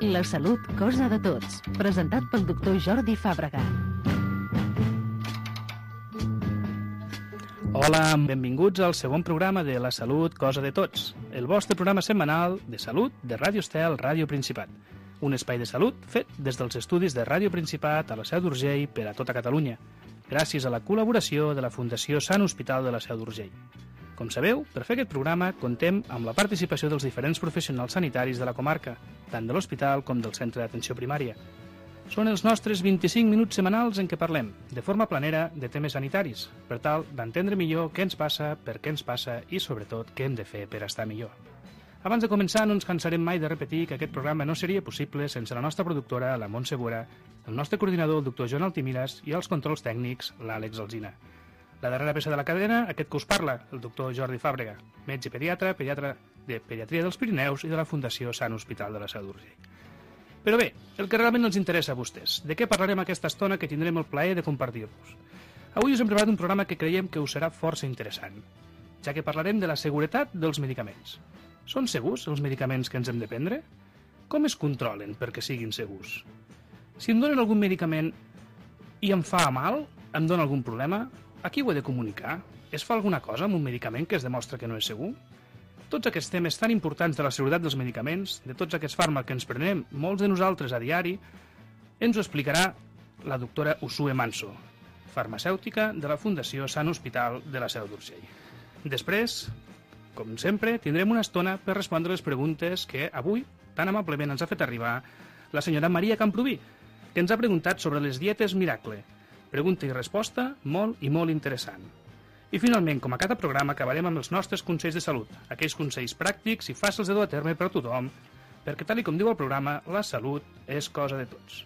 La salut, cosa de tots. Presentat pel doctor Jordi Fàbrega. Hola, benvinguts al segon programa de La salut, cosa de tots. El vostre programa setmanal de salut de Ràdio Estel, Ràdio Principat. Un espai de salut fet des dels estudis de Ràdio Principat a la Seu d'Urgell per a tota Catalunya, gràcies a la col·laboració de la Fundació Sant Hospital de la Seu d'Urgell. Com sabeu, per fer aquest programa contem amb la participació dels diferents professionals sanitaris de la comarca, tant de l'hospital com del centre d'atenció primària. Són els nostres 25 minuts setmanals en què parlem, de forma planera, de temes sanitaris, per tal d'entendre millor què ens passa, per què ens passa i, sobretot, què hem de fer per estar millor. Abans de començar, no ens cansarem mai de repetir que aquest programa no seria possible sense la nostra productora, la Montse Bora, el nostre coordinador, el doctor Joan Altimiras, i els controls tècnics, l'Àlex Alsina. La darrera peça de la cadena, aquest que us parla, el doctor Jordi Fàbrega, metge pediatra de Pediatria dels Pirineus i de la Fundació Sant Hospital de la Seu d'Urgell. Però bé, el que realment ens interessa a vostès, de què parlarem aquesta estona que tindrem el plaer de compartir-vos. Avui us hem preparat un programa que creiem que us serà força interessant, ja que parlarem de la seguretat dels medicaments. Són segurs els medicaments que ens hem de prendre? Com es controlen perquè siguin segurs? Si em donen algun medicament i em fa mal, em dona algun problema, a qui ho he de comunicar? Es fa alguna cosa amb un medicament que es demostra que no és segur? Tots aquests temes tan importants de la seguretat dels medicaments, de tots aquests fàrmacs que ens prenem, molts de nosaltres a diari, ens ho explicarà la doctora Uxue Manso, farmacèutica de la Fundació Sant Hospital de la Seu d'Urgell. Després, com sempre, tindrem una estona per respondre les preguntes que avui tan amablement ens ha fet arribar la senyora Maria Camproví, que ens ha preguntat sobre les dietes miracle. Pregunta i resposta molt i molt interessant. I finalment, com a cada programa, acabarem amb els nostres consells de salut, aquells consells pràctics i fàcils de dur a terme per a tothom, perquè tal com diu el programa, la salut és cosa de tots.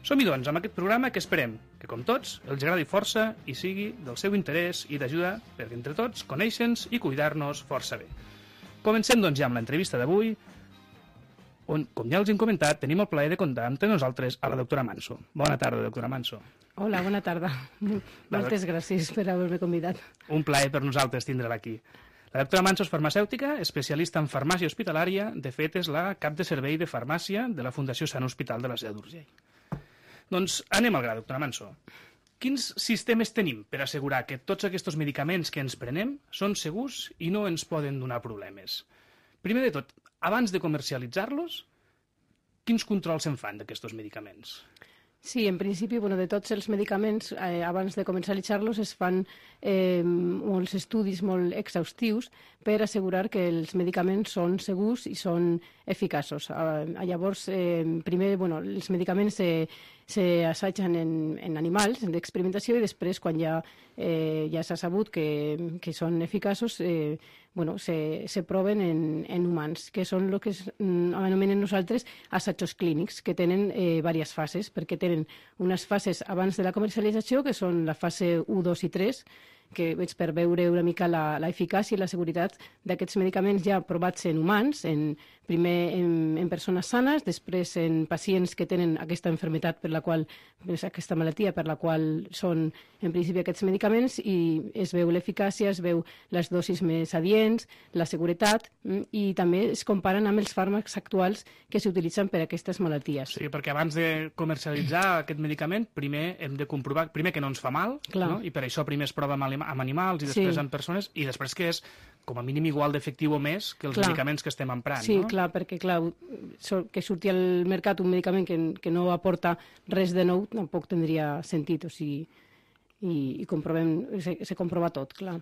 Som-hi doncs amb aquest programa que esperem que, com tots, els agradi força i sigui del seu interès i d'ajuda perquè entre tots conèixer-nos i cuidar-nos força bé. Comencem doncs ja amb l'entrevista d'avui, on, com ja els hem comentat, tenim el plaer de comptar amb nosaltres a la doctora Manso. Bona tarda, doctora Manso. Hola, bona tarda. Moltes gràcies per haver-me convidat. Un plaer per nosaltres tindre-la aquí. La doctora Manso és farmacèutica, especialista en farmàcia hospitalària, de fet és la cap de servei de farmàcia de la Fundació Sant Hospital de la Seu d'Urgell. Doncs anem al gra, doctora Manso. Quins sistemes tenim per assegurar que tots aquests medicaments que ens prenem són segurs i no ens poden donar problemes? Primer de tot, abans de comercialitzar-los, quins controls se'n fan d'aquests medicaments? Sí, en principi, de tots els medicaments, abans de comercialitzar-los, es fan molts estudis molt exhaustius per assegurar que els medicaments són segurs i són eficaços. Llavors, primer, els medicaments s'assagen en animals, d'experimentació, i després, quan ja s'ha sabut que són eficaços, se proven en humans, que són el que anomenem nosaltres assajos clínics, que tenen diverses fases, perquè tenen unes fases abans de la comercialització, que són la fase 1, 2 i 3, que és per veure una mica l'eficàcia i la seguretat d'aquests medicaments ja provats en humans, primer en persones sanes, després en pacients que tenen aquesta malaltia per la qual són en principi aquests medicaments, i es veu l'eficàcia, es veu les dosis més adients, la seguretat, i també es comparen amb els fàrmacs actuals que s'utilitzen per a aquestes malalties. Sí, perquè abans de comercialitzar aquest medicament, primer hem de comprovar que no ens fa mal, no? I per això primer es prova amb animals i després en persones, i després que és com a mínim igual d'efectiu o més que els medicaments que estem emprant. Sí, clar, perquè que surti al mercat un medicament que no aporta res de nou tampoc tindria sentit, o sigui, i se comprova tot, clar.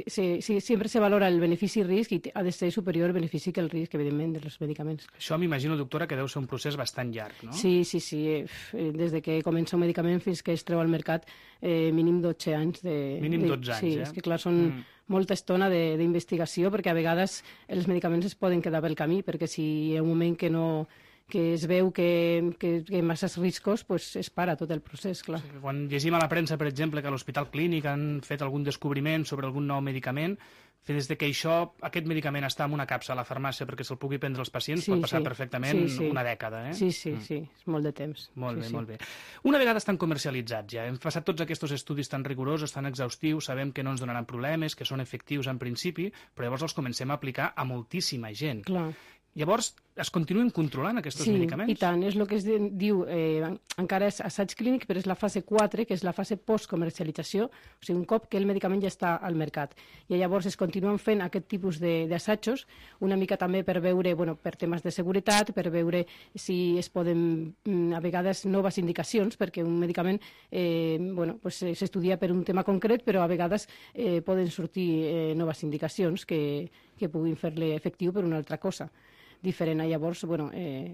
Sempre se valora el benefici-risc i ha de ser superior el benefici que el risc, evidentment, dels medicaments. Això m'imagino, doctora, que deu ser un procés bastant llarg, no? Sí. Des de que comença un medicament fins que es treu al mercat, mínim 12 anys. Mínim 12 anys, Sí, és que clar, són molta estona d'investigació, perquè a vegades els medicaments es poden quedar pel camí, perquè si hi ha un moment que es veu que hi ha masses riscos, es para tot el procés, clar. Sí, quan llegim a la premsa, per exemple, que a l'Hospital Clínic han fet algun descobriment sobre algun nou medicament, des de que aquest medicament està en una capsa a la farmàcia perquè se'l pugui prendre als pacients, pot passar perfectament una dècada. Sí, és molt de temps. Molt bé. Una vegada estan comercialitzats ja, hem passat tots aquests estudis tan rigorosos, tan exhaustius, sabem que no ens donaran problemes, que són efectius en principi, però llavors els comencem a aplicar a moltíssima gent. Clar. Llavors, es continuen controlant aquests medicaments? Sí, i tant. És el que es diu, encara és assaig clínic, però és la fase 4, que és la fase postcomercialització, o sigui, un cop que el medicament ja està al mercat. I llavors es continuen fent aquest tipus d'assajos, una mica també per veure, per temes de seguretat, per veure si es poden, a vegades, noves indicacions, perquè un medicament s'estudia per un tema concret, però a vegades poden sortir noves indicacions que puguin fer-le efectiu per una altra cosa diferent. Llavors,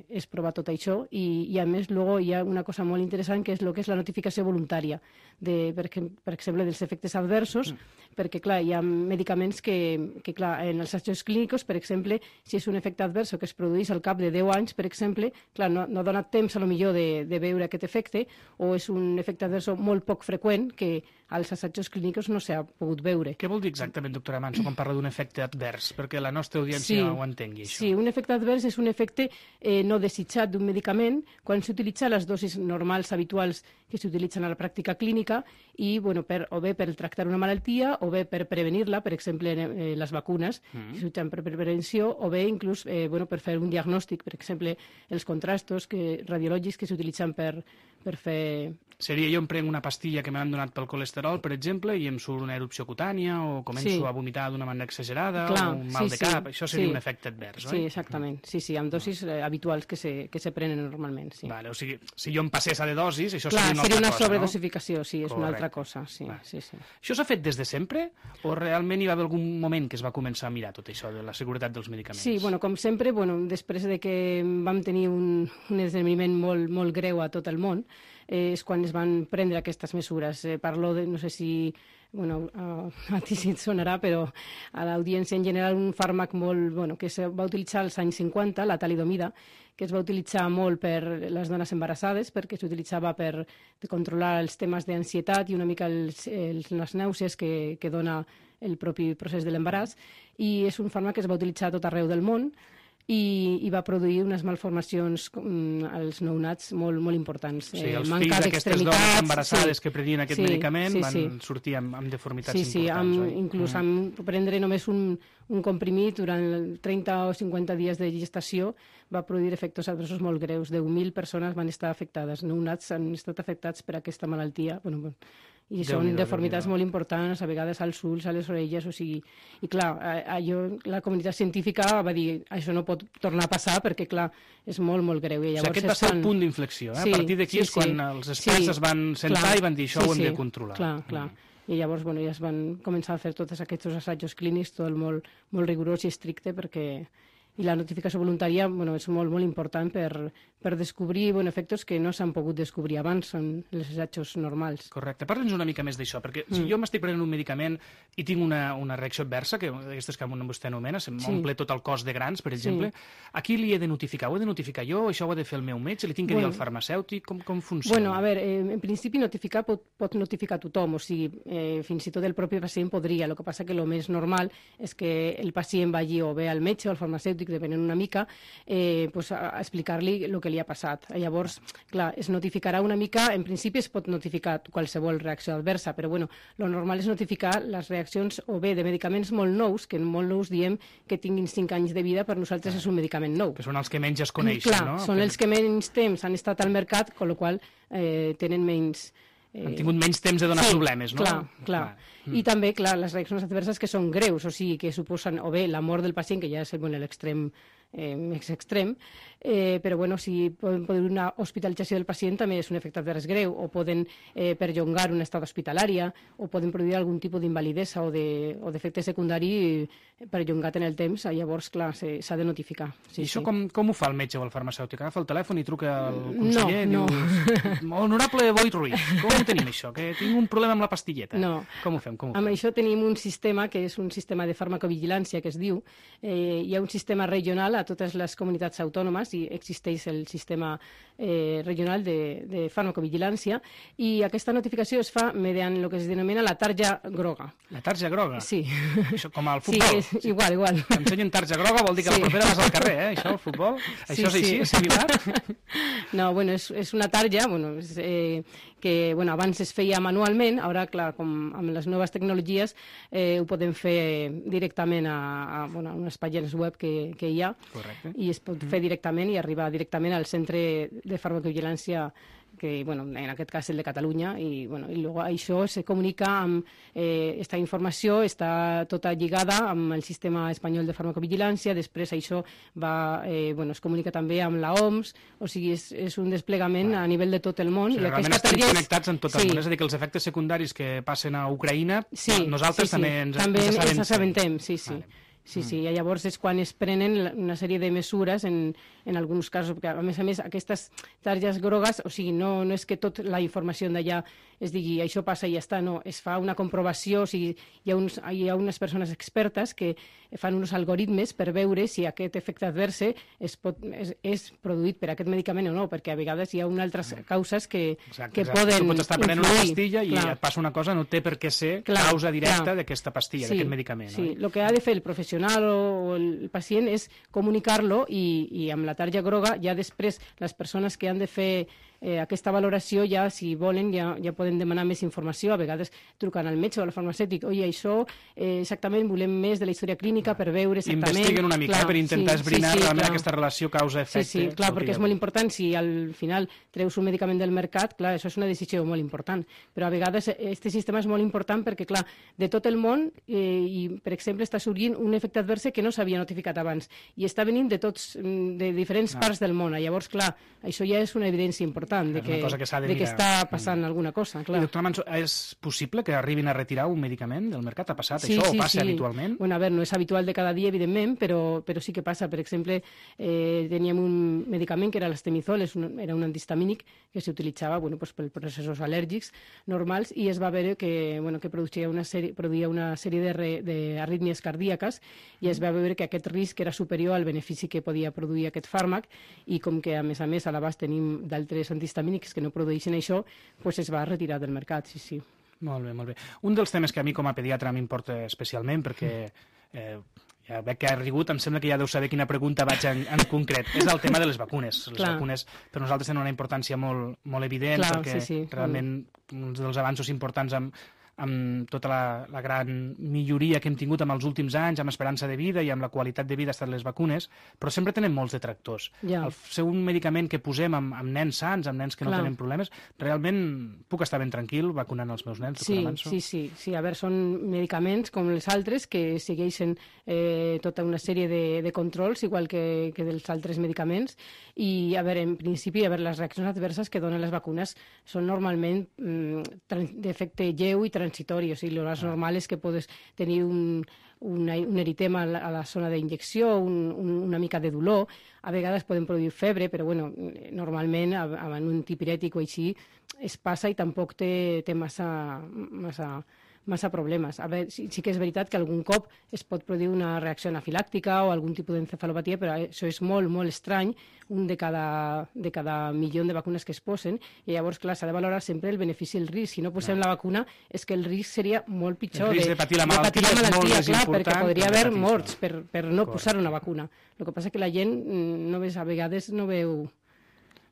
és provar tot això i a més, luego hi ha una cosa molt interessant que és el que és la notificació voluntària, per exemple, dels efectes adversos, perquè, clar, hi ha medicaments que clar, en els assajos clínics, per exemple, si és un efecte advers que es produeix al cap de 10 anys, per exemple, clar, no dona temps, a lo millor, de veure aquest efecte, o és un efecte advers molt poc freqüent que als assajos clínics no s'ha pogut veure. Què vol dir exactament, doctora Manso, quan parla d'un efecte advers? Perquè la nostra audiència ho entengui, això. Sí, un efecte advers és un efecte no desitjat d'un medicament quan s'utilitza les dosis normals, habituals, que s'utilitzen a la pràctica clínica i, o bé per tractar una malaltia o bé per prevenir-la, per exemple, les vacunes, que s'utilitzen per prevenció, o bé inclús per fer un diagnòstic, per exemple, els contrastos radiològics que s'utilitzen per fer... Seria jo em prenc una pastilla que m'han donat pel colesterol, per exemple, i em surt una erupció cutània o començo a vomitar d'una manera exagerada o un mal de cap. Això seria un efecte advers, oi? Sí, exactament. Sí, amb dosis habituals que se prenen normalment, sí. Vale, o sigui, si jo em passés a de dosis, això seria una altra cosa, seria una sobredosificació, sí, és una altra cosa, sí. Això s'ha fet des de sempre o realment hi va haver algun moment que es va començar a mirar tot això de la seguretat dels medicaments? Sí, com sempre, després de que vam tenir un esdeveniment molt greu a tot el món, és quan es van prendre aquestes mesures. Parlo de, no sé si a ti sí et sonarà, però a l'audiència en general un fàrmac que es va utilitzar als anys 50, la talidomida, que es va utilitzar molt per les dones embarassades, perquè s'utilitzava per controlar els temes d'ansietat i una mica les nàusees que dona el propi procés de l'embaràs, i és un fàrmac que es va utilitzar a tot arreu del món, i va produir unes malformacions als nounats molt importants. Sí, els fills d'aquestes dones embarassades que prenien aquest medicament van sortir amb deformitats importants. Inclús amb prendre només un comprimit durant 30 o 50 dies de gestació va produir efectes adversos molt greus. 10.000 persones van estar afectades. Nounats han estat afectats per aquesta malaltia. I són deformitats molt importants, a vegades als ulls, a les orelles, o sigui... I clar, la comunitat científica va dir això no pot tornar a passar perquè, clar, és molt greu. I llavors aquest va ser el punt d'inflexió, eh? A partir d'aquí és quan els experts es van sentar i van dir això ho hem de controlar. Clar. I llavors ja es van començar a fer tots aquests assajos clínics, tot molt rigorós i estricte, perquè... I la notificació voluntària és molt important per descobrir efectes que no s'han pogut descobrir abans, són els assajos normals. Correcte. Parla'ns una mica més d'això, perquè si jo m'estic prenent un medicament i tinc una reacció adversa, que aquestes que vostè anomena, m'omple tot el cos de grans, per exemple, a qui li he de notificar? Ho he de notificar jo? Això ho ha de fer el meu metge? Li tinc que dir al farmacèutic? Com funciona? A veure, en principi notificar pot notificar tothom, o sigui, fins i tot el propi pacient podria. El que passa que el més normal és que el pacient vagi o bé al metge o al farmacèutic, depenent una mica, a explicar-li el que li ha passat. Llavors, clar, es notificarà una mica, en principi es pot notificar qualsevol reacció adversa, però lo normal és notificar les reaccions o bé de medicaments molt nous, que molt nous diem que tinguin 5 anys de vida, per nosaltres és un medicament nou. Que són els que menys es coneixen, no? Clar, són els que menys temps han estat al mercat, amb la qual tenen menys... Han tingut menys temps de donar problemes, no? Clar. I també, clar, les reaccions adverses que són greus, o sigui, que suposen o bé la mort del pacient, que ja és l'extrem més extrem, però si poden produir una hospitalització del pacient també és un efecte advers greu, o poden perllongar una estada hospitalària, o poden produir algun tipus d'invalidesa o d'efecte secundari perllongat en el temps. Llavors, clar, s'ha de notificar. I això com ho fa el metge o el farmacèutic? Agafa el telèfon i truca al conseller i diu: honorable Boi Ruiz, com ho tenim això? Que tinc un problema amb la pastilleta. No. Com ho fem? Amb això tenim un sistema que és un sistema de farmacovigilància, que es diu. Hi ha un sistema regional a totes les comunitats autònomes i existeix el sistema regional de farmacovigilància, i aquesta notificació es fa mediant el que es denomina la tarja groga. La tarja groga? Sí. Això com al futbol? Sí, igual. Que ensenyen tarja groga vol dir que la propera vas al carrer, això, al futbol? Això és així, és similar? No, és una tarja que abans es feia manualment, ara, clar, com amb les noves tecnologies ho podem fer directament a unes pàgines web que hi ha, Correcte. I es pot fer directament i arribar directament al centre de farmacovigilància que, bueno, en aquest cas el de Catalunya, i, bueno, i luego això se comunica amb esta informació, està tota lligada amb el sistema espanyol de farmacovigilància, després això va, bueno, es comunica també amb la OMS, o sigui, és un desplegament a nivell de tot el món. O sigui, realment estem connectats en tot el món, és a dir, que els efectes secundaris que passen a Ucraïna, nosaltres també ens assabentem. Sí. Sí, i llavors és quan es prenen una sèrie de mesures en alguns casos, perquè a més aquestes targes grogues, o sigui, no és que tota la informació d'allà es digui això passa i ja està, no, es fa una comprovació, o sigui, hi ha unes persones expertes que fan uns algoritmes per veure si aquest efecte adverse és produït per aquest medicament o no, perquè a vegades hi ha unes altres causes que poden tu pots estar prenent una pastilla i et passa una cosa, no té per què ser causa directa d'aquesta pastilla, d'aquest medicament. Sí, el que ha de fer el professional o el pacient és comunicar-lo i amb la tarja groga ja després les persones que han de fer aquesta valoració ja, si volen, ja poden demanar més informació, a vegades trucant al metge o al farmacèutic, oi, això exactament volem més de la història clínica per veure exactament... Investiguen una mica per intentar esbrinar realment aquesta relació causa-efecte. Sí, clar, perquè és molt important, si al final treus un medicament del mercat, clar, això és una decisió molt important, però a vegades aquest sistema és molt important perquè, clar, de tot el món, i per exemple està sorgint un efecte adverse que no s'havia notificat abans, i està venint de diferents parts del món, llavors, clar, això ja és una evidència important de que està passant alguna cosa. Clar. I, doctora Manso, és possible que arribin a retirar un medicament del mercat? Ha passat això? O passa habitualment? Bueno, a veure, no és habitual de cada dia, evidentment, però sí que passa. Per exemple, teníem un medicament que era l'estemizol, era un antihistamínic que s'utilitzava per processos al·lèrgics normals, i es va veure que produïa una sèrie d'arrítmies cardíaques, i es va veure que aquest risc era superior al benefici que podia produir aquest fàrmac, i com que a més a l'abast tenim d'altres antihistamínics que no produeixen això, doncs es va retirar del mercat, sí. Molt bé. Un dels temes que a mi com a pediatra m'importa especialment, perquè ja veig que ha rigut, em sembla que ja deu saber quina pregunta vaig en concret, és el tema de les vacunes. Les vacunes per nosaltres tenen una importància molt evident, perquè realment uns dels avanços importants amb tota la gran milloria que hem tingut en els últims anys, amb esperança de vida i amb la qualitat de vida ha estat les vacunes, però sempre tenen molts detractors. El ser un medicament que posem amb nens sans, amb nens que no tenen problemes, realment puc estar ben tranquil vacunant els meus nens, doctora Manso? Sí, a veure, són medicaments com els altres que segueixen tota una sèrie de controls, igual que dels altres medicaments, i a veure, en principi, les reaccions adverses que donen les vacunes són normalment d'efecte lleu i transitori, o sigui, el normal és que podes tenir un eritema a la zona d'injecció, una mica de dolor, a vegades poden produir febre, però normalment amb un antipirètic o així es passa i tampoc té massa problemes. A veure, sí que és veritat que algun cop es pot produir una reacció anafilàctica o algun tipus d'encefalopatia, però això és molt, molt estrany, un de cada milió de vacunes que es posen, i llavors, clar, s'ha de valorar sempre el benefici i el risc. Si no posem la vacuna, és que el risc seria molt pitjor. El risc de patir la malaltia és molt més important. Perquè podria haver morts per no posar una vacuna. El que passa que la gent a vegades no veu...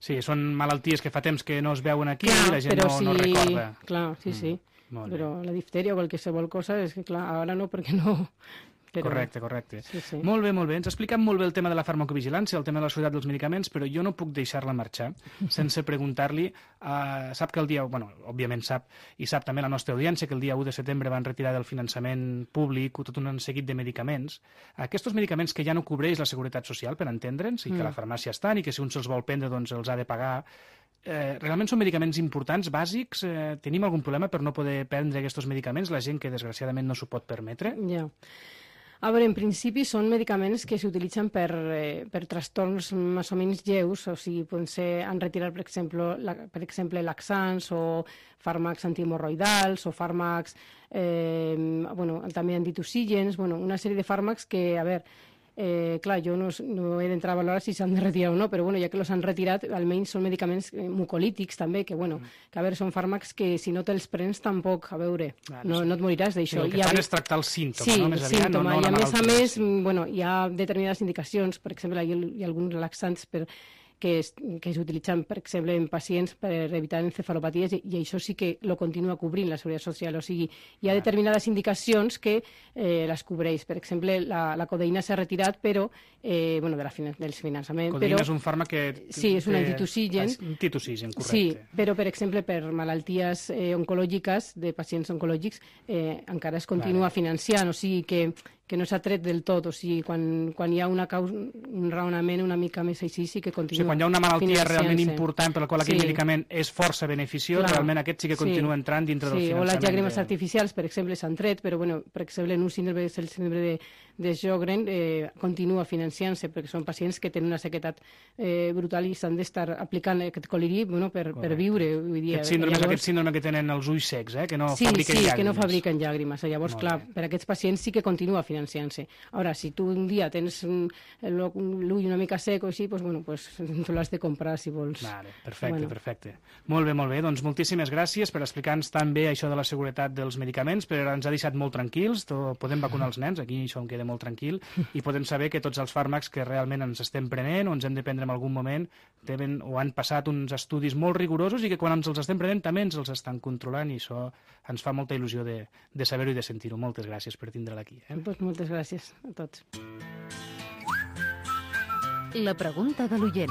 Sí, són malalties que fa temps que no es veuen aquí i la gent no recorda. Clar, sí. Però la diftèria o qualsevol cosa és que, clar, ara no, perquè no... Però... Correcte. Sí. Molt bé. Ens ha explicat molt bé el tema de la farmacovigilància, el tema de la seguretat dels medicaments, però jo no puc deixar-la marxar sense preguntar-li... Sap que el dia... òbviament sap, i sap també la nostra audiència, que el dia 1 de setembre van retirar del finançament públic tot un seguit de medicaments. Aquests medicaments que ja no cobreix la Seguretat Social, per entendre'ns, i que a la farmàcia estan, i que si un se'ls vol prendre, doncs els ha de pagar... realment són medicaments importants, bàsics? Tenim algun problema per no poder prendre aquests medicaments, la gent que desgraciadament no s'ho pot permetre? Ja. A veure, en principi són medicaments que s'utilitzen per trastorns més o menys lleus, o sigui, han retirat, per exemple, laxants o fàrmacs antihemorroidals o fàrmacs també antitussígens, una sèrie de fàrmacs que, a veure, clar, jo no he d'entrar a valorar si s'han de retirar o no, però ja que els han retirat, almenys són medicaments mucolítics també, que a veure, són fàrmacs que si no te'ls prens tampoc, a veure, no et moriràs d'això. El que fan és tractar el símptoma, no? Més aviat, no la malaltia. I a més, sí. hi ha determinades indicacions, per exemple, hi ha alguns laxants que s'utilitzen, per exemple, en pacients per evitar encefalopaties, i això sí que lo continua cobrint la Seguretat Social. O sigui, hi ha determinades indicacions que les cobreix. Per exemple, la codeïna s'ha retirat, però del finançament. Codeïna és un fàrmac que... Sí, és un antitussigen. Antitussigen, correcte. Sí, però, per exemple, per malalties oncològiques, de pacients oncològics, encara es continua financiant, o sigui que no s'ha tret del tot, o sigui, quan hi ha un raonament una mica més així, sí que continua. O sigui, quan hi ha una malaltia realment important per la qual aquell medicament és força beneficiós, realment aquest sí que continua entrant dintre del finançament. O les llàgrimes artificials, per exemple, s'han tret, però, per exemple, en un síndrome, el síndrome de Sjögren, continua financiant-se, perquè són pacients que tenen una sequedat brutal i s'han d'estar aplicant aquest col·liri per viure. Aquest síndrome és aquest síndrome que tenen els ulls secs, que no fabriquen llàgrimes. Sí, que no fabriquen llàgrimes. Llavors, clar, per aquests pacients sí que continua financiant-se. Ara, si tu un dia tens l'ull una mica sec o així, tu l'has de comprar, si vols. Perfecte. Molt bé. Doncs moltíssimes gràcies per explicar-nos tan bé això de la seguretat dels medicaments, però ens ha deixat molt tranquils. Podem vacunar els nens, aquí això em queda molt tranquil, i podem saber que tots els fàrmacs que realment ens estem prenent o ens hem de prendre en algun moment han passat uns estudis molt rigorosos i que quan ens els estem prenent també ens els estan controlant, i això ens fa molta il·lusió de saber-ho i de sentir-ho. Moltes gràcies per tindre-la aquí. Moltes gràcies a tots. La pregunta de l'oient.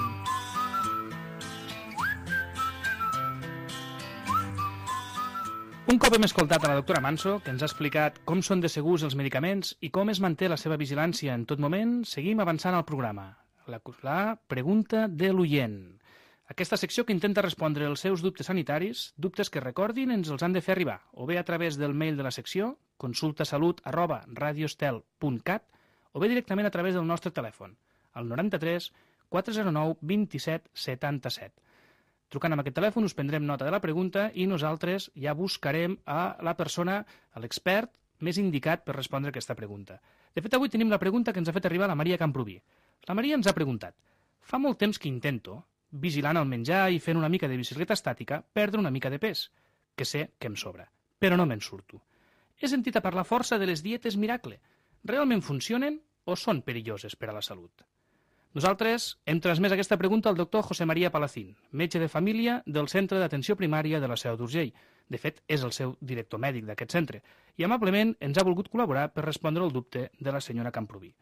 Un cop hem escoltat a la doctora Manso, que ens ha explicat com són de segurs els medicaments i com es manté la seva vigilància en tot moment, seguim avançant al programa. La pregunta de l'oient. Aquesta secció que intenta respondre els seus dubtes sanitaris, dubtes que recordin ens els han de fer arribar, o bé a través del mail de la secció, consultasalut@radiostel.cat, o bé directament a través del nostre telèfon, al 93 409 27 77. Trucant amb aquest telèfon us prendrem nota de la pregunta i nosaltres ja buscarem a la persona, a l'expert més indicat per respondre aquesta pregunta. De fet, avui tenim la pregunta que ens ha fet arribar la Maria Camprubí. La Maria ens ha preguntat: fa molt temps que intento, vigilant el menjar i fent una mica de bicicleta estàtica, perdre una mica de pes, que sé que em sobra, però no me'n surto. He sentit a parlar força de les dietes miracle. Realment funcionen o són perilloses per a la salut? Nosaltres hem transmès aquesta pregunta al doctor José María Palacín, metge de família del Centre d'Atenció Primària de la Seu d'Urgell. De fet, és el seu director mèdic d'aquest centre, i amablement ens ha volgut col·laborar per respondre al dubte de la senyora Camprubí.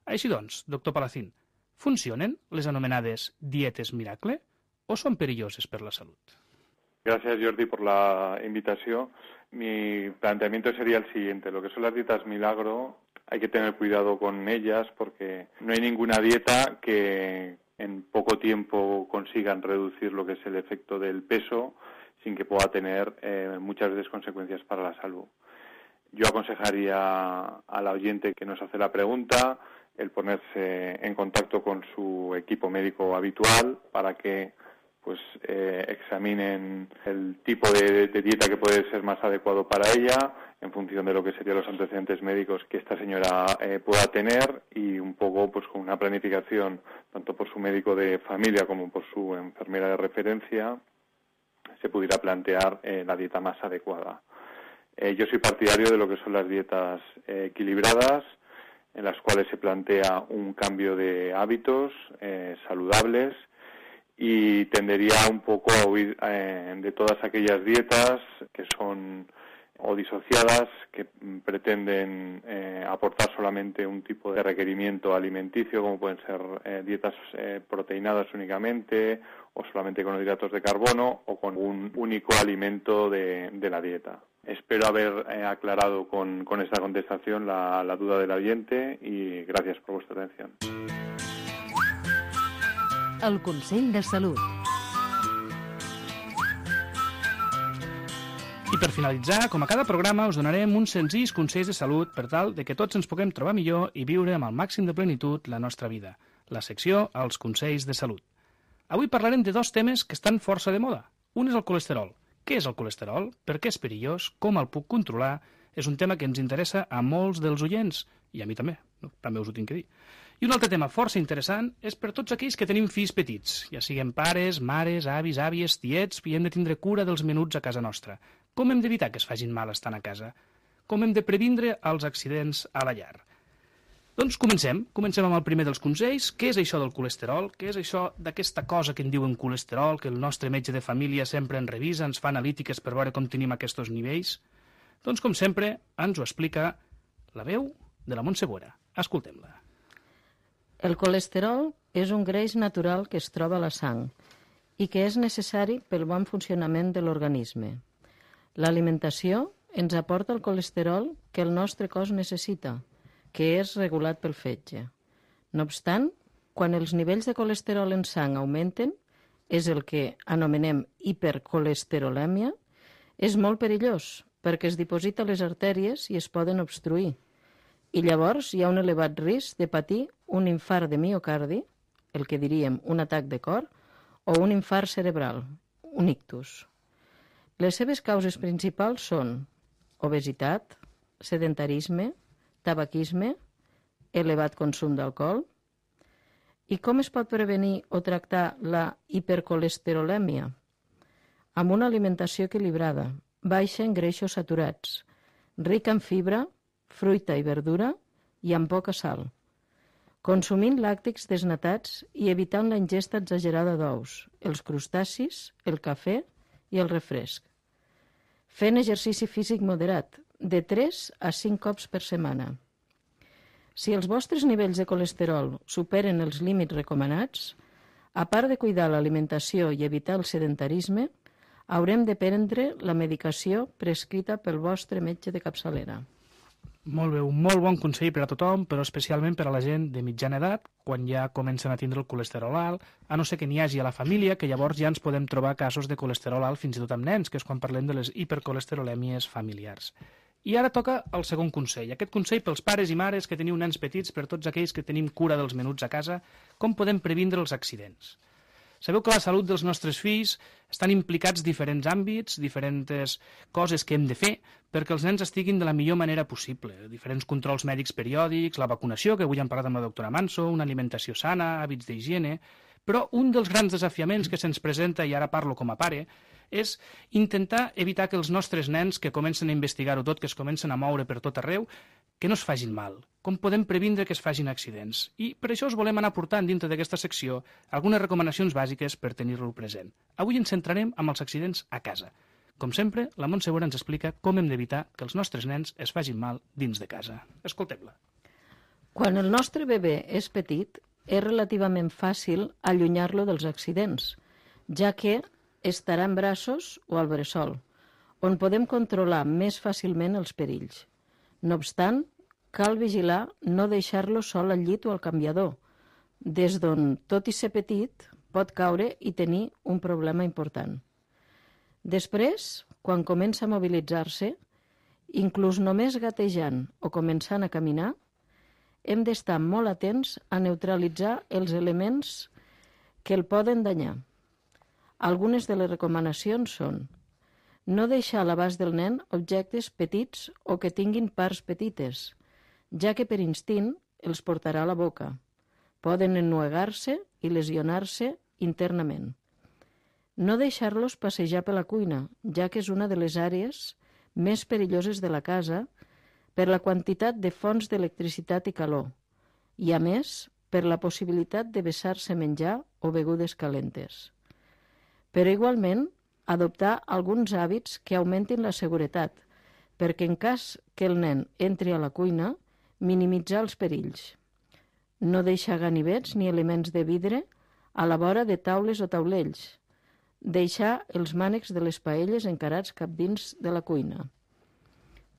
Així doncs, doctor Palacín, funcionen les anomenades dietes miracle o són perilloses per la salut? Gracias, Jordi, por la invitación. Mi planteamiento sería el siguiente. Lo que son las dietas milagro, hay que tener cuidado con ellas porque no hay ninguna dieta que en poco tiempo consigan reducir lo que es el efecto del peso sin que pueda tener muchas veces consecuencias para la salud. Yo aconsejaría a la oyente que nos hace la pregunta el ponerse en contacto con su equipo médico habitual para que examinen el tipo de dieta que puede ser más adecuado para ella en función de lo que serían los antecedentes médicos que esta señora pueda tener y un poco con una planificación tanto por su médico de familia como por su enfermera de referencia se pudiera plantear la dieta más adecuada. Yo soy partidario de lo que son las dietas equilibradas, en las cuales se plantea un cambio de hábitos saludables, y tendería un poco a huir de todas aquellas dietas que son o disociadas, que pretenden aportar solamente un tipo de requerimiento alimenticio, como pueden ser dietas proteinadas únicamente, o solamente con hidratos de carbono, o con un único alimento de la dieta. Espero haber aclarado con esta contestación la duda del oyente y gracias por vuestra atención. El Consell de Salut. I per finalitzar, com a cada programa, us donarem uns senzills consells de salut per tal de que tots ens puguem trobar millor i viure amb el màxim de plenitud la nostra vida. La secció Els Consells de Salut. Avui parlarem de dos temes que estan força de moda. Un és el colesterol. Què és el colesterol? Per què és perillós? Com el puc controlar? És un tema que ens interessa a molts dels oients, i a mi també, també us ho tinc que dir. I un altre tema força interessant és per tots aquells que tenim fills petits, ja siguem pares, mares, avis, àvies, tiets, i hem de tindre cura dels menuts a casa nostra. Com hem d'evitar que es facin mal estant a casa? Com hem de previndre els accidents a la llar? Doncs comencem amb el primer dels consells. Què és això del colesterol? Què és això d'aquesta cosa que en diuen colesterol, que el nostre metge de família sempre ens revisa, ens fa analítiques per veure com tenim aquests nivells? Doncs, com sempre, ens ho explica la veu de la Montse Boera. Escoltem-la. El colesterol és un greix natural que es troba a la sang i que és necessari pel bon funcionament de l'organisme. L'alimentació ens aporta el colesterol que el nostre cos necessita, que és regulat pel fetge. No obstant, quan els nivells de colesterol en sang augmenten, és el que anomenem hipercolesterolèmia, és molt perillós perquè es diposita a les artèries i es poden obstruir. I llavors hi ha un elevat risc de patir un infart de miocardi, el que diríem un atac de cor, o un infart cerebral, un ictus. Les seves causes principals són obesitat, sedentarisme, tabaquisme, elevat consum d'alcohol. I com es pot prevenir o tractar la hipercolesterolèmia? Amb una alimentació equilibrada, baixa en greixos saturats, rica en fibra, fruita i verdura i amb poca sal. Consumint làctics desnatats i evitant la ingesta exagerada d'ous, els crustacis, el cafè i el refresc. Fent exercici físic moderat, de 3 a 5 cops per setmana. Si els vostres nivells de colesterol superen els límits recomanats, a part de cuidar l'alimentació i evitar el sedentarisme, haurem de prendre la medicació prescrita pel vostre metge de capçalera. Molt bé, un molt bon consell per a tothom, però especialment per a la gent de mitjana edat, quan ja comencen a tindre el colesterol alt, a no ser que n'hi hagi a la família, que llavors ja ens podem trobar casos de colesterol alt fins i tot amb nens, que és quan parlem de les hipercolesterolèmies familiars. I ara toca el segon consell. Aquest consell pels pares i mares que teniu nens petits, per tots aquells que tenim cura dels menuts a casa, com podem previndre els accidents. Sabeu que la salut dels nostres fills estan implicats diferents àmbits, diferents coses que hem de fer perquè els nens estiguin de la millor manera possible. Diferents controls mèdics periòdics, la vacunació, que avui hem parlat amb la doctora Manso, una alimentació sana, hàbits d'higiene. Però un dels grans desafiaments que se'ns presenta, i ara parlo com a pare, és intentar evitar que els nostres nens, que comencen a investigar-ho tot, que es comencen a moure per tot arreu, que no es facin mal. Com podem previndre que es facin accidents? I per això us volem anar portant dintre d'aquesta secció algunes recomanacions bàsiques per tenir-lo present. Avui ens centrarem amb els accidents a casa. Com sempre, la Montse Boera ens explica com hem d'evitar que els nostres nens es facin mal dins de casa. Escoltem-la. Quan el nostre bebè és petit, és relativament fàcil allunyar-lo dels accidents, ja que estarà en braços o al bressol, on podem controlar més fàcilment els perills. No obstant, cal vigilar no deixar-lo sol al llit o al canviador, des d'on, tot i ser petit, pot caure i tenir un problema important. Després, quan comença a mobilitzar-se, inclús només gatejant o començant a caminar, hem d'estar molt atents a neutralitzar els elements que el poden danyar. Algunes de les recomanacions són no deixar a l'abast del nen objectes petits o que tinguin parts petites, ja que per instint els portarà a la boca. Poden ennuegar-se i lesionar-se internament. No deixar-los passejar per la cuina, ja que és una de les àrees més perilloses de la casa per la quantitat de fonts d'electricitat i calor, i a més per la possibilitat de vessar-se menjar o begudes calentes. Però igualment, adoptar alguns hàbits que augmentin la seguretat, perquè en cas que el nen entri a la cuina, minimitzar els perills. No deixar ganivets ni elements de vidre a la vora de taules o taulells. Deixar els mànecs de les paelles encarats cap dins de la cuina.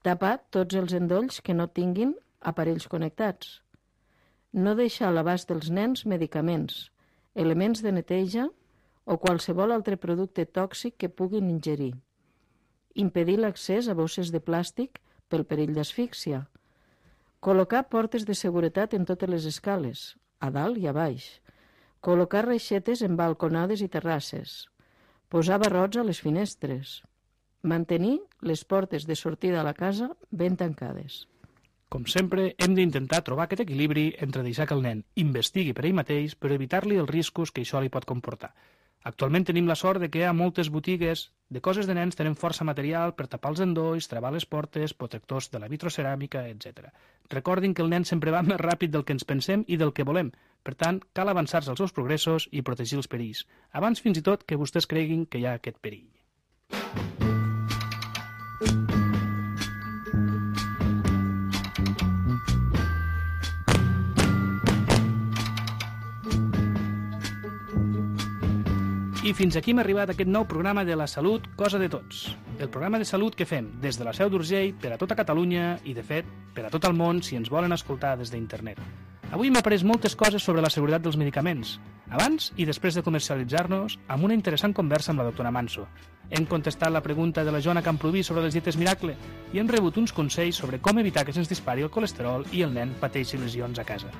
Tapar tots els endolls que no tinguin aparells connectats. No deixar a l'abast dels nens medicaments, elements de neteja o qualsevol altre producte tòxic que puguin ingerir. Impedir l'accés a bosses de plàstic pel perill d'asfíxia. Col·locar portes de seguretat en totes les escales, a dalt i a baix. Col·locar reixetes en balconades i terrasses. Posar barrots a les finestres. Mantenir les portes de sortida a la casa ben tancades. Com sempre, hem d'intentar trobar aquest equilibri entre deixar que el nen investigui per ell mateix, però evitar-li els riscos que això li pot comportar. Actualment tenim la sort de que a moltes botigues de coses de nens tenen força material per tapar els endolls, travar les portes, protectors de la vitroceràmica, etc. Recordin que el nen sempre va més ràpid del que ens pensem i del que volem. Per tant, cal avançar-se als seus progressos i protegir els perills, abans fins i tot que vostès creguin que hi ha aquest perill. I fins aquí hem arribat a aquest nou programa de la salut, cosa de tots. El programa de salut que fem des de la Seu d'Urgell per a tota Catalunya i, de fet, per a tot el món si ens volen escoltar des d'internet. Avui hem après moltes coses sobre la seguretat dels medicaments, abans i després de comercialitzar-nos, amb una interessant conversa amb la doctora Manso. Hem contestat la pregunta de la Joana Camproví sobre les dietes miracle i hem rebut uns consells sobre com evitar que se'ns dispari el colesterol i el nen pateixi lesions a casa.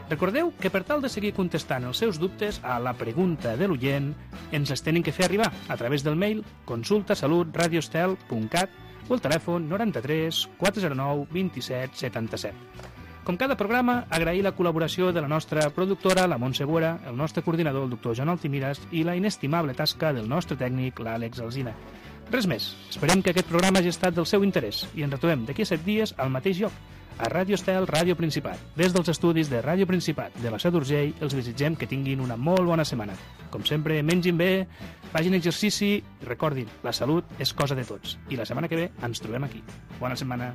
Recordeu que per tal de seguir contestant els seus dubtes a la pregunta de l'oient ens les tenen que fer arribar a través del mail consultasalutradiostel.cat o el telèfon 93 409 27 77. Com cada programa, agrair la col·laboració de la nostra productora, la Montse Buera, el nostre coordinador, el doctor Joan Altimiras, i la inestimable tasca del nostre tècnic, l'Àlex Alsina. Res més. Esperem que aquest programa hagi estat del seu interès i ens retrobem d'aquí a 7 dies al mateix lloc, a Ràdio Estel, Ràdio Principat. Des dels estudis de Ràdio Principat de la Seu d'Urgell, els desitgem que tinguin una molt bona setmana. Com sempre, mengin bé, facin exercici i recordin, la salut és cosa de tots. I la setmana que ve ens trobem aquí. Bona setmana.